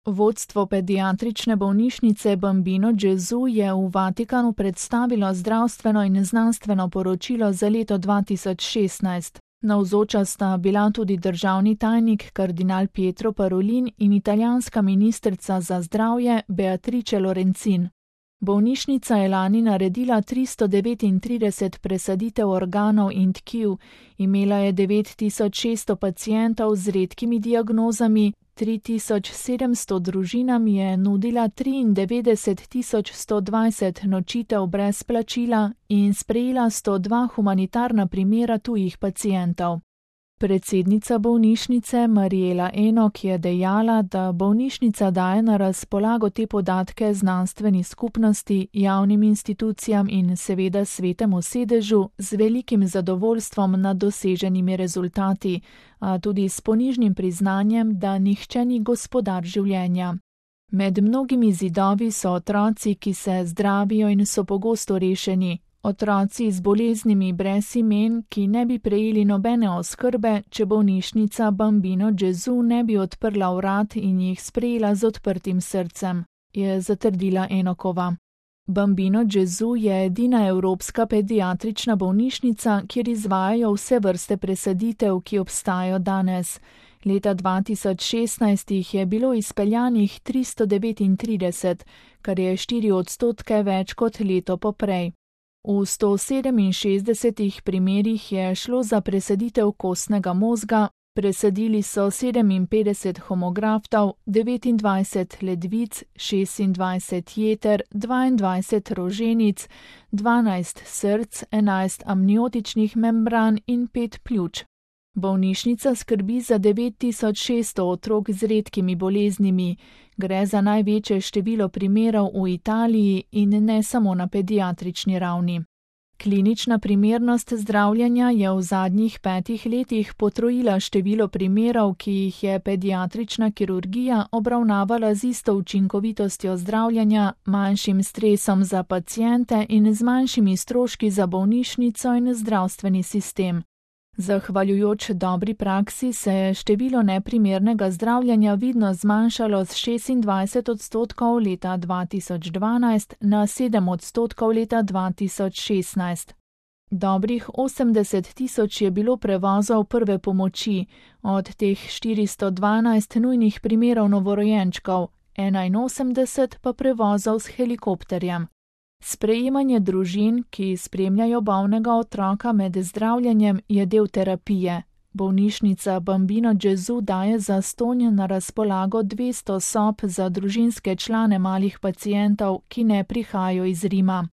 Vodstvo pediatrične bolnišnice Bambino Gesù je v Vatikanu predstavilo zdravstveno in znanstveno poročilo za leto 2016. Navzoča sta bila tudi državni tajnik kardinal Pietro Parolin in italijanska ministrica za zdravje Beatrice Lorenzin. Bolnišnica je lani naredila 339 presaditev organov in tkiv, imela je 9600 pacientov z redkimi diagnozami, 3700 družinam je nudila 93120 nočitev brez plačila in sprejela 102 humanitarna primera tujih pacientov. Predsednica bolnišnice Mariela Enok je dejala, da bolnišnica daje na razpolago te podatke znanstveni skupnosti, javnim institucijam in seveda svetemu sedežu z velikim zadovoljstvom nad doseženimi rezultati, a tudi s ponižnim priznanjem, da nihče ni gospodar življenja. Med mnogimi zidovi so otroci, ki se zdravijo in so pogosto rešeni. Otroci z boleznimi brez imen, ki ne bi prejeli nobene oskrbe, če bolnišnica Bambino Gesù ne bi odprla vrat in jih sprejela z odprtim srcem, je zatrdila Enokova. Bambino Gesù je edina evropska pediatrična bolnišnica, kjer izvajajo vse vrste presaditev, ki obstajajo danes. Leta 2016 jih je bilo izpeljanih 339, kar je 4% več kot leto poprej. V 167 primerih je šlo za presaditev kostnega možga, presadili so 57 homograftov, 29 ledvic, 26 jeter, 22 roženic, 12 src, 11 amniotičnih membran in 5 pljuč. Bolnišnica skrbi za 9600 otrok z redkimi boleznimi. Gre za največje število primerov v Italiji in ne samo na pediatrični ravni. Klinična primernost zdravljenja je v zadnjih 5 letih potrojila število primerov, ki jih je pediatrična kirurgija obravnavala z isto učinkovitostjo zdravljenja, manjšim stresom za paciente in z manjšimi stroški za bolnišnico in zdravstveni sistem. Zahvaljujoč dobri praksi se je število neprimernega zdravljenja vidno zmanjšalo z 26% leta 2012 na 7% leta 2016. Dobrih 80 000 je bilo prevozov prve pomoči, od teh 412 nujnih primerov novorojenčkov, 81 pa prevozov s helikopterjem. Sprejemanje družin, ki spremljajo bolnega otroka med zdravljenjem, je del terapije. Bolnišnica Bambino Gesù daje zastonj na razpolago 200 sob za družinske člane malih pacientov, ki ne prihajajo iz Rima.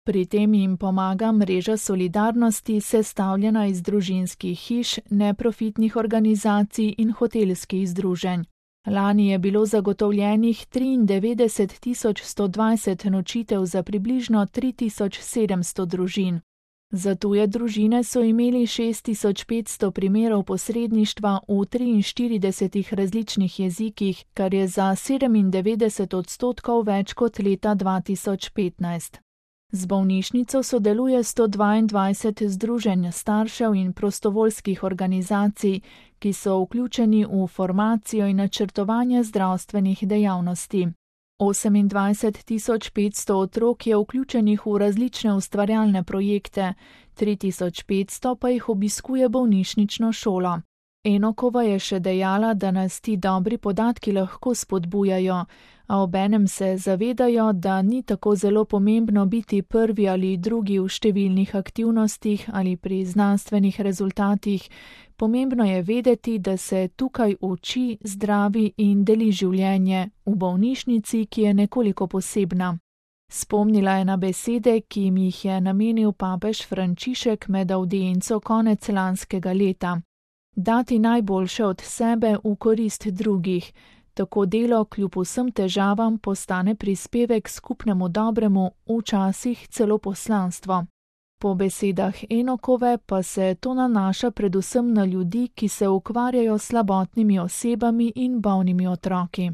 Pri tem jim pomaga mreža solidarnosti, sestavljena iz družinskih hiš, neprofitnih organizacij in hotelskih združenj. Lani je bilo zagotovljenih 93 120 nočitev za približno 3700 družin. Za tuje družine so imeli 6500 primerov posredništva v 43 različnih jezikih, kar je za 97% več kot leta 2015. Z bolnišnico sodeluje 122 združenj staršev in prostovoljskih organizacij, ki so vključeni v formacijo in načrtovanje zdravstvenih dejavnosti. 28 500 otrok je vključenih v različne ustvarjalne projekte, 3500 pa jih obiskuje bolnišnično šolo. Enokova je še dejala, da nas ti dobri podatki lahko spodbujajo, a obenem se zavedajo, da ni tako zelo pomembno biti prvi ali drugi v številnih aktivnostih ali pri znanstvenih rezultatih. Pomembno je vedeti, da se tukaj uči, zdravi in deli življenje v bolnišnici, ki je nekoliko posebna. Spomnila je na besede, ki jim jih je namenil papež Frančišek med avdienco konec lanskega leta. Dati najboljše od sebe v korist drugih. Tako delo kljub vsem težavam postane prispevek skupnemu dobremu, včasih celo poslanstvo. Po besedah Enokove pa se to nanaša predvsem na ljudi, ki se ukvarjajo s slabotnimi osebami in bolnimi otroki.